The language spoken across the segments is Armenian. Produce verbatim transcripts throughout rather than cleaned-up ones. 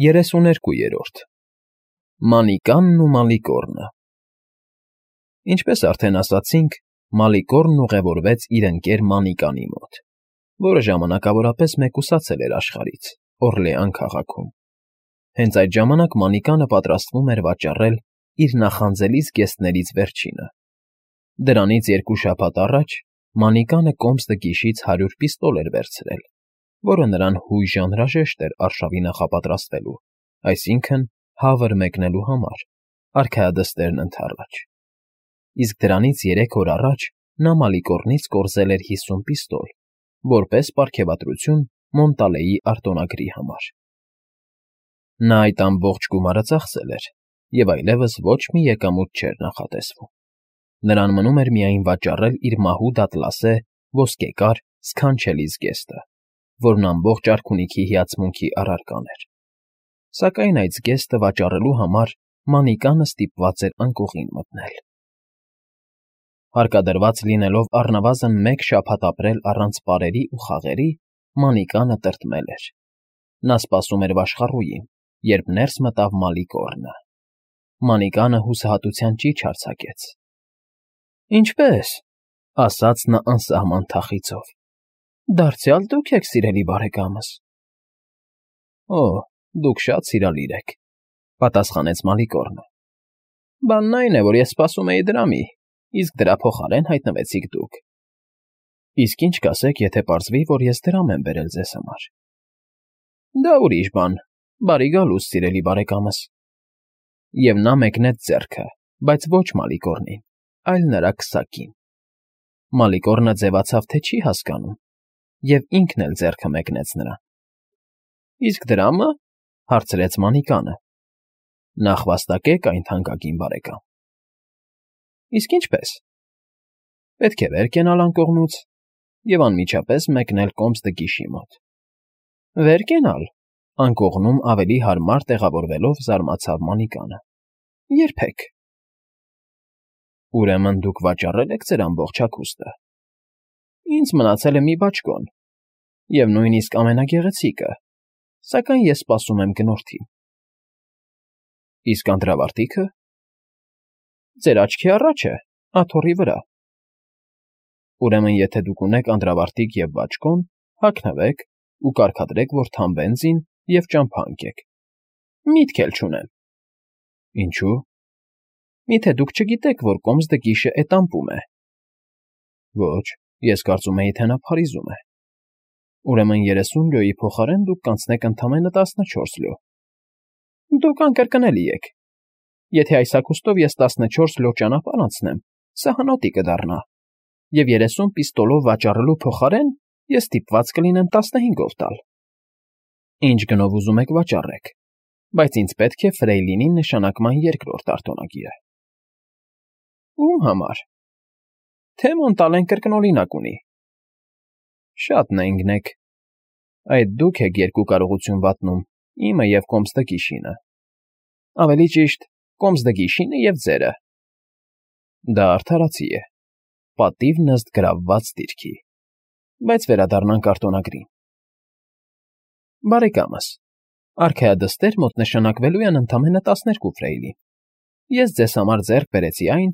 Երեսուներկուերորդ Մանիկանն ու Մալիկոռնը Ինչպես արդեն ասացինք, Մալիկոռնն ուղևորվեց իր ընկեր Մանիկանի մոտ, որը ժամանակավորապես մեկուսացել էր աշխարհից, Օռլեան քաղաքում. հենց այդ ժամանակ Մանիկանը պատրաստվում էր վաճառել իր նախանձելի զգեստներից վերջինը. դրանից երկու շաբաթ առաջ Մանիկանը կոմս֊տգիշից հարյուր պիստոլ էր վերցրել, որը նրան հույժ անհրաժեշտ էր արշավի նախապատրաստվելու, այսինքն՝ հավր մեկնելու համար, արքայադստերն ընդառաջ. իսկ դրանից երեք օր առաջ նա Մալիկոռնից կորզել էր հիսուն պիստոլ, որպես պարգևատրություն Մոնտալեի արտոնագրի համար. նա այդ ամբողջ գումարը ծախսել էր և այլևս ոչ մի եկամուտ չէր նախատեսվում. նրան մնում էր միայն վաճառել իր մահուտ ատլասե ոսկեկար սքանչելի զգեստը, որն ամբողջ արքունիքի հիացմունքի առարկան էր, սակայն այդ զգեստը վաճառելու համար Մանիկանը ստիպված էր անկողին մտնել. Հարկադրված լինելով առնվազն մեկ շաբաթ ապրել առանց պարերի ու խաղերի, Մանիկանը տրտմել էր. նա սպասում էր վաշխառուին, երբ ներս մտավ Մալիկոռնը. Մանիկանը հուսահատության ճիչ արձակեց. Ինչպե՞ս,֊ ասաց նա անսահման թախիծով,֊ դարձյալ դուք եք, սիրելի բարեկամս… Օ՜, դուք շատ սիրալիր եք,֊ պատասխանեց Մալիկոռնը,֊ բանն այն է, որ ես սպասում էի դրամի, իսկ դրա փոխարեն հայտնվեցիք դուք… Իսկ ի՞նչ կասեք, եթե պարզվի, որ ես դրամ եմ բերել ձեզ համար… Դա ուրիշ բան, բարի գալուստ, սիրելի բարեկամս… Եվ նա մեկնեց ձեռքը, բայց ոչ Մալիկոռնին, այլ նրա քսակին… Մալիկոռնը ձևացավ, թե չի հասկանում, և ինքն էլ ձեռքը մեկնեց նրան։ Իսկ դրամը,֊ հարցրեց Մանիկանը,֊ նախվաստակեք այն, թանկագին բարեկամ… Իսկ ինչպե՞ս… Պետք է վեր կենալ անկողնուց և անմիջապես մեկնել կոմս֊տգիշի մոտ… Վեր կենալ,֊ անկողնում ավելի հարմար տեղավորվելով զարմացավ Մանիկանը,֊ երբեք… Ուրեմն դուք վաճառել եք ձեր ամբողջ հագուստը… Ինձ մնացել է մի բաճկոն, և նույնիսկ ամենագեղեցիկը, սակայն ես սպասում եմ գնորդին… Իսկ անդրավարտիքը… Ձեր աչքի առաջ է, աթոռի վրա… Ուրեմն եթե դուք ունեք անդրավարտիք և բաճկոն, հագնվեք ու կարգադրեք, որ թամ բենզին և ճամփա ընկեք… Միտք էլ չունեմ… Ինչո՞ւ… Մի՞թե դուք չգիտեք, որ կոմս֊տգիշը էտամպում է… Ոչ, ես կարծում էի, թե նա Փարիզում է… Ուրեմն երեսուն լյոյի փոխարեն դուք կանցնեք ընդամենը տասնչորս լյո… Դուք անկրկնելի եք… Եթե այս հագուստով ես տասնչորս լյո ճանապարհ անցնեմ, սահանոտի կդառնա, և երեսուն պիստոլով վաճառելու փոխարեն ես ստիպված կլինեմ տասնհինգով տալ… Ինչ գնով ուզում եք վաճառեք, բայց ինձ պետք է Ֆրեյլինի նշանակման երկրորդ արտոնագիրը… Ո՞ւմ համար… Թե Մոնտալեն կրկնօրինակ ունի… Շատ նենգն եք… Այդ դուք եք երկու կարողություն վատնում, իմը և կոմս֊տգիշինը… Ավելի ճիշտ, կոմս֊տգիշինը և ձերը… Դա արդարացի է, պատիվն ըստ գրավված դիրքի… Բայց վերադառնանք արտոնագրին… Բարեկամս, արքայադստեր մոտ նշանակվելու են ընդամենը տասներկու ֆրեյլին… Ես ձեզ համար ձեռք բերեցի այն,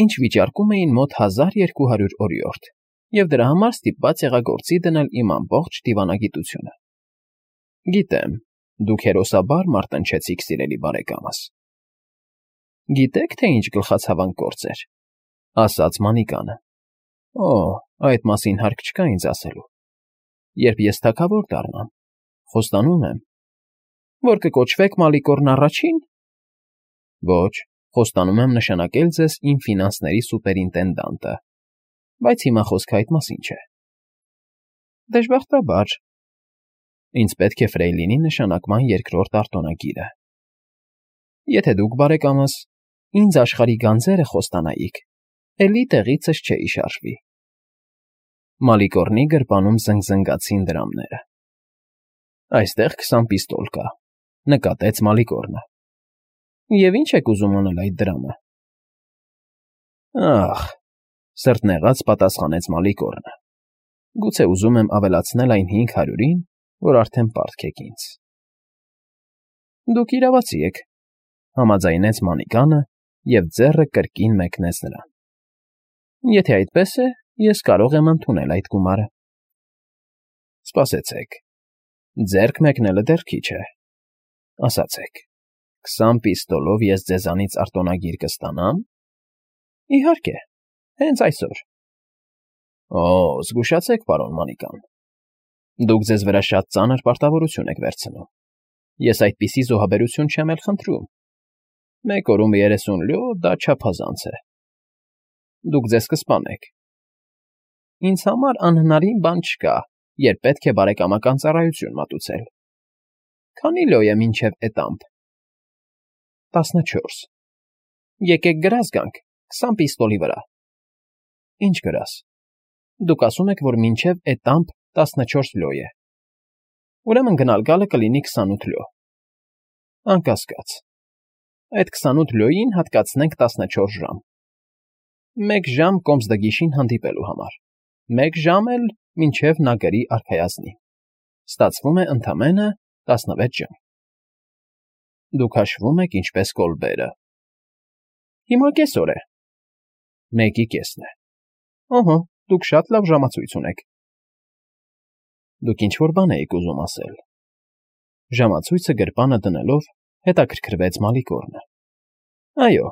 ինչ վիճարկում էին մոտ հազար երկու հարյուր օրիորդ և դրա համար ստիպված եղա գործի դնել իմ ամբողջ դիվանագիտությունը… Գիտեմ, դուք հերոսաբար մարտնչեցիք, սիրելի բարեկամս… Գիտե՞ք, թե ինչ գլխացավանք գործ էր,֊ ասաց Մանիկանը… Օ՜, այդ մասին հարկ չկա ինձ ասելու… Երբ ես թագավոր դառնամ, խոստանում եմ… Որ կկոչվեք Մալիկոռն Առաջի՞ն… Ոչ, խոստանում եմ նշանակել ձեզ իմ ֆինանսների սուպերինտենդանտը… Բայց հիմա խոսքը այդ մասին չէ… Դժբախտաբար… Ինձ պետք է Ֆրեյլինի նշանակման երկրորդ արտոնագիրը… Եթե դուք, բարեկամս, ինձ աշխարհի գանձերը խոստանայիք, էլի տեղիցս չէի շարժվի… Մալիկոռնի գրպանում զնգզնգացին դրամները… Այստեղ քսան պիստոլ կա,֊ նկատեց Մալիկոռնը… Եվ ի՞նչ եք ուզում անել այդ դրամը… Ա՜խ,֊ սրտնեղած պատասխանեց Մալիկոռնը,֊ գուցե ուզում եմ ավելացնել այն հինգ հարյուրին, որ արդեն պարտք եք ինձ… Դուք իրավացի եք, համաձայնեց Մանիկանը և ձեռը կրկին մեկնեց նրան։ Եթե այդպես է, ես կարող եմ ընդունել այդ գումարը։ Սպասեցեք, ձեռք մեկնելը դեռ քիչ է, ասացեք, քսան պիստոլով ես ձեզանից արտոնագիր կստանա՞մ։ Իհարկե, հենց այսօր։ Օ, զգուշացեք, պարոն Մանիկան, դուք ձեզ վրա շատ ծանր պարտավորություն եք վերցնում։ Ես այդպիսի զոհաբերություն չեմ էլ խնդրում։ Մեկ օրում երեսուն լյո, դա չափազանց է։ Դուք ձեզ կսպանեք։ Ինձ համար անհնարին բան չկա, երբ պետք է բարեկամական ծառայություն մատուցել։ Քանի լյո է մինչև էտամփ։ տասնչորս։ Եկեք գրազ գանք, քսան պիստոլի վրա։ Ինչ գրազ։ Դուք ասում եք, որ մինչև էտամփ տասնչորս լյո է։ Ուրեմն գնալ գալը կլինի քսանութ լյո։ Անկասկած։ Այդ քսանութ լյոյին հատկացնենք տասնչորս ժամ։ Մեկ ժամ կոմսդգիշին հանդիպելու համար։ Մեկ ժամ էլ մինչև նա գրի արքայազնի։ Ստացվում է ընդամենը տասնվեց ժամ։ Դուք հաշվում եք ինչպես կոլբերը։ Հիմա կեսօր է։ Մեկի կեսն է։ Ահա, դուք շատ լավ ժամացույց ունեք։ Դուք ինչ-որ բան էիք ուզում ասել։ Ժամացույցը գրպանը դնելով հետաքրքրվեց Մալիկորնը։ Այո,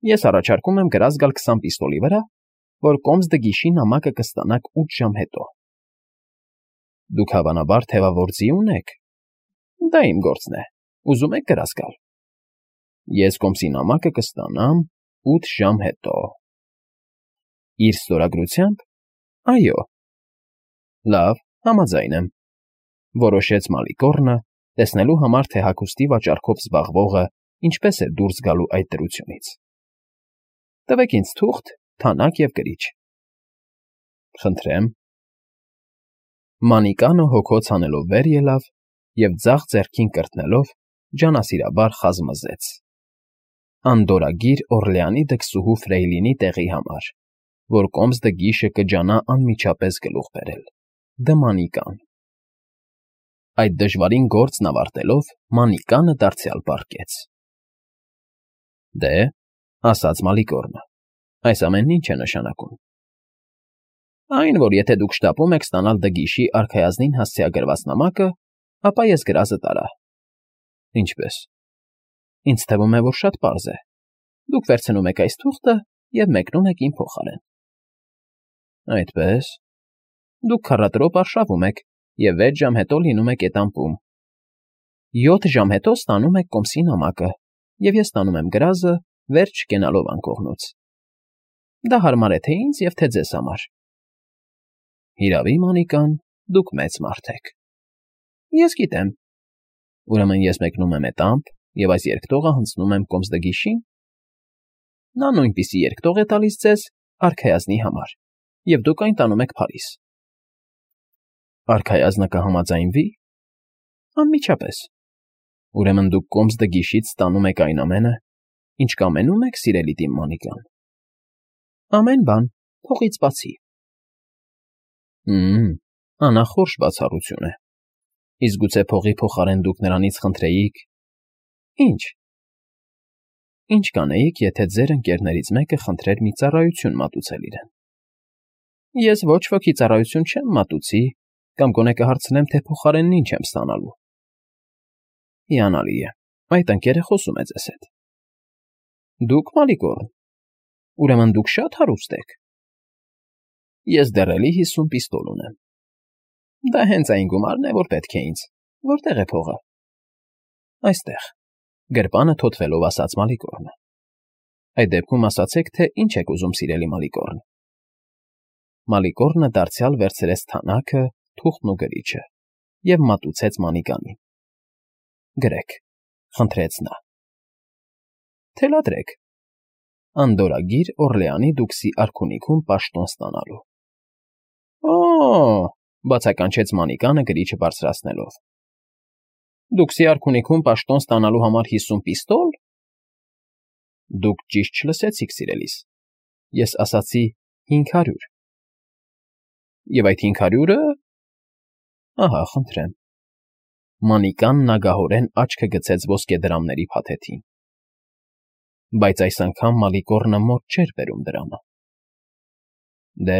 ես առաջարկում եմ գրազ գալ քսան պիստոլի վրա, որ կոմսդգիշի նամակը կստանաք ութ ժամ հետո։ Դուք հավանաբար թևավոր ձի ունեք։ Դա իմ գործն է։ Ուզում եք գրազ գալ։ Ես կոմսի նամակը կստանամ ութ ժամ հետո։ Իր ստորագրությամբ։ Այո։ Լավ, համաձայն եմ, որոշեց Մալիկորնը, տեսնելու համար, թե հագուստի վաճառքով զբաղվողը ինչպես է դուրս գալու այդ դրությունից։ Տվեք ինձ թուղթ, թանակ և գրիչ։ Խնդրեմ։ Մանիկանը հոգոց հանելով վեր ելավ և ձախ ձեռքին կրտնելով ջանասիրաբար խազմզեց. Անդորրագիր Օռլեանի դքսուհու Ֆրեյլինի տեղի համար, որ կոմսդգիշը կջանա անմիջապես գլուխ բերել։ Դ. Մանիկան։ Այդ դժվարին գործն ավարտելով, Մանիկանը դարձյալ պառկեց։ Դե, ասաց Մալիկորնը, այս ամենն ինչ է նշանակում։ Այն, որ եթե դուք շտապում եք ստանալ դգիշի արքայազնին հասցեագրված նամակը, ապա ես գրազը տարա։ Ինչպես։ Ինձ թվում է, որ շատ պարզ է։ Դուք վերցնում եք այս թուղթը և մեկնում եք իմ փոխարեն։ Այդպես։ Դուք քառատրոպ արշավում եք և վեց ժամ հետո լինում եք էտամպում։ Յոթ ժամ հետո ստանում եք կոմսի նամակը, և ես ստանում եմ գրազը վերջ չկենալով անկողնուց։ Դա հարմար է թե ինձ և թե ձեզ համար։ Հիրավի, Մանիկան, դուք մեծ մարդ եք։ Ես գիտեմ։ Ուրեմն ես մեկնում եմ էտամփ և այս երկտողը հանձնում եմ կոմսդգիշին։ Նա նույնպիսի երկտող է տալիս ձեզ արքայազնի համար, և դուք այն տանում եք Փարիզ։ Արքայազնը կհամաձայնվի։ Անմիջապես։ Ուրեմն դուք կոմսդգիշից ստանում եք այն ամենը, ինչ կամենում եք, սիրելի Տիմ Մանիկան։ Ամեն բան, փողից բացի։ Հմ, անախորժ բացառություն է։ Իսկ գուցե փողի փոխարեն դուք նրանից խնդրեիք… Ինչ։ Ինչ կանեիք, եթե ձեր ընկերներից մեկը խնդրեր մի ծառայություն մատուցել իրեն։ Ես ոչ ոքի ծառայություն չեմ մատուցի, կամ գոնե կհարցնեմ, թե փոխարենն ինչ եմ ստանալու։ Հիանալի է, այդ ընկերը խոսում է ձեզ հետ։ Դուք, Մալիկորն, ուրեմն դուք շատ հարուստ եք։ Ես դեռ էլի հիսուն պիստոլ ունեմ։ Դա հենց այն գումարն է, որ պետք է ինձ։ Որտե՞ղ է փողը։ Այստեղ, գրպանը թոթվելով ասաց Մալիկորնը։ Այդ դեպքում ասացեք, թե ինչ եք ուզում, սիրելի Մալիկորն։ Մալիկորնը դարձյալ վերցրեց թանակը, թուղթն ու գրիչը և մատուցեց Մանիկանին։ Գրեք, խնդրեց նա։ Թելադրեք։ Անդորրագիր Օռլեանի դուքսի արքունիքում պաշտոն ստանալու։ Օ՜, բացականչեց Մանիկանը գրիչը բարձրացնելով։ Դուքսի արքունիքում պաշտոն ստանալու համար հիսուն պիստոլ։ Դուք ճիշտ չլսեցիք, սիրելիս։ Ես ասացի հինգ հարյուր։ Եվ այդ հինգ հարյուրը… Ահա, խնդրեմ։ Մանիկան նագահորեն աչքը գցեց ոսկեդրամների փաթեթին։ Բայց այս անգամ Մալիկոռնը մոտ չէր բերում դրամը։ Դե,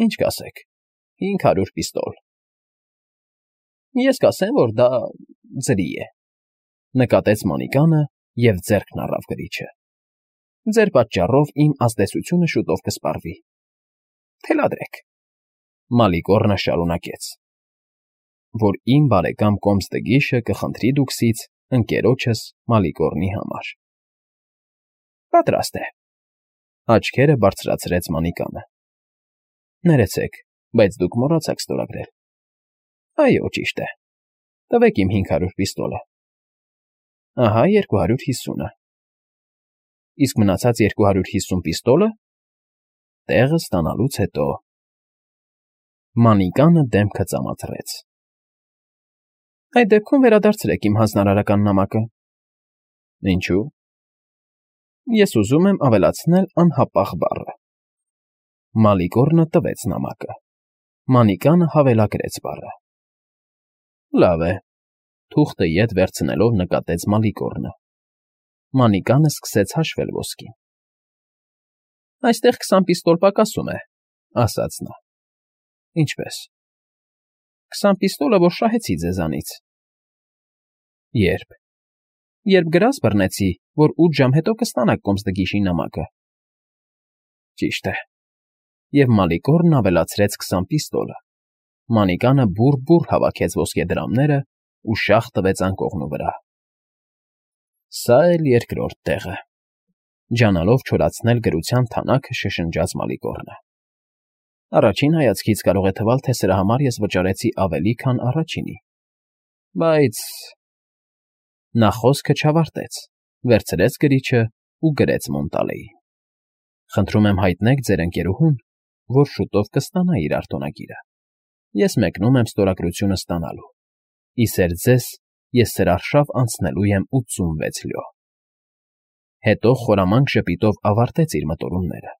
ինչ կասեք, հինգ հարյուր պիստոլ։ Ես կասեմ, որ դա ձրի է, նկատեց Մանիկանը և ձեռքն առավ գրիչը։ Ձեր պատճառով իմ ազդեցությունը շուտով կսպառվի։ Թելադրեք, Մալիկոռնը շարունակեց, որ իմ բարեկամ Կոմստգիշը կխնդրի դուքսից ընկերոջս Մալիկոռնի համար։ Պատրաստ է, աչքերը բարձրացրեց Մանիկանը։ Ներեցեք, բայց դուք մոռացաք ստորագրել։ Այո, ճիշտ է, տվեք իմ հինգ հարյուր պիստոլը։ Ահա երկու հարյուր հիսունը։ Իսկ մնացած երկու հարյուր հիսուն պիստոլը տեղը ստանալուց հետո։ Մանիկանը դեմքը ծամաթռեց։ Այդ դեպքում վերադարձրեք իմ հանձնարարական նամակը։ Ինչու՞։ Ես ուզում եմ ավելացնել անհապաղ բառը։ Մալիկոռնը տվեց նամակը։ Մանիկանը հավելագրեց բառը։ Լավ է, թուղթը ետ վերցնելով նկատեց Մալիկոռնը։ Մանիկանը սկսեց հաշվել ոսկին։ Այստեղ քսան պիստոլ պակասում է, ասաց նա։ Ինչպե՞ս։ Քսան պիստոլը, որ շահեցի ձեզանից։ Ե՞րբ։ Երբ գրազ բռնեցի, որ ութ ժամ հետո կստանաք Կոմստգիշի նամակը։ Ճիշտ է։ Եվ Մալիկոռնն ավելացրեց քսան պիստոլը։ Մանիկանը բուռ֊բուռ հավաքեց ոսկեդրամները ու շաղ տվեց անկողնու վրա։ Սա էլ երկրորդ տեղը։ Ջանալով չորացնել գրության թանաքը շշնջաց Մալիկոռնը։ Առաջին հայացքից կարող է թվալ, թե սրա համար ես վճարեցի ավելի, քան առաջինի։ Բայց… Նա խոսքը չավարտեց, վերցրեց գրիչը ու գրեց Մոնտալեին։ Խնդրում եմ հայտնեք ձեր ընկերուհուն, որ շուտով կստանա իր արտոնագիրը։ Ես մեկնում եմ ստորագրությունը ստանալու։ Իսեր ձեզ ես սրա արշավ անցնելու եմ ութսունվեց լյո։ Հետո խորամանկ ժպիտով ավարտեց իր մտորումները։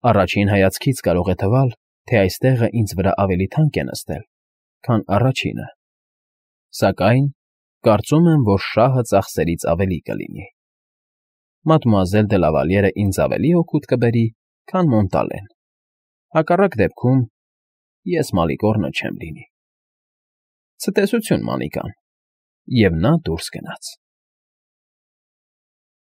Առաջին հայացքից կարող է թվալ, թե այս տեղը ինձ վրա ավելի թանկ է նստել, քան առաջինը։ Սակայն կարծում եմ, որ շահը ծախսերից ավելի կլինի։ Մադմուազել դե Լավալյերը ինձ ավելի օգուտ կբերի, քան Մոնտալեն։ Հակառակ դեպքում ես Մալիկոռնը չեմ լինի։ Ցտեսություն, Մանիկան։ Եվ նա դուրս գնաց։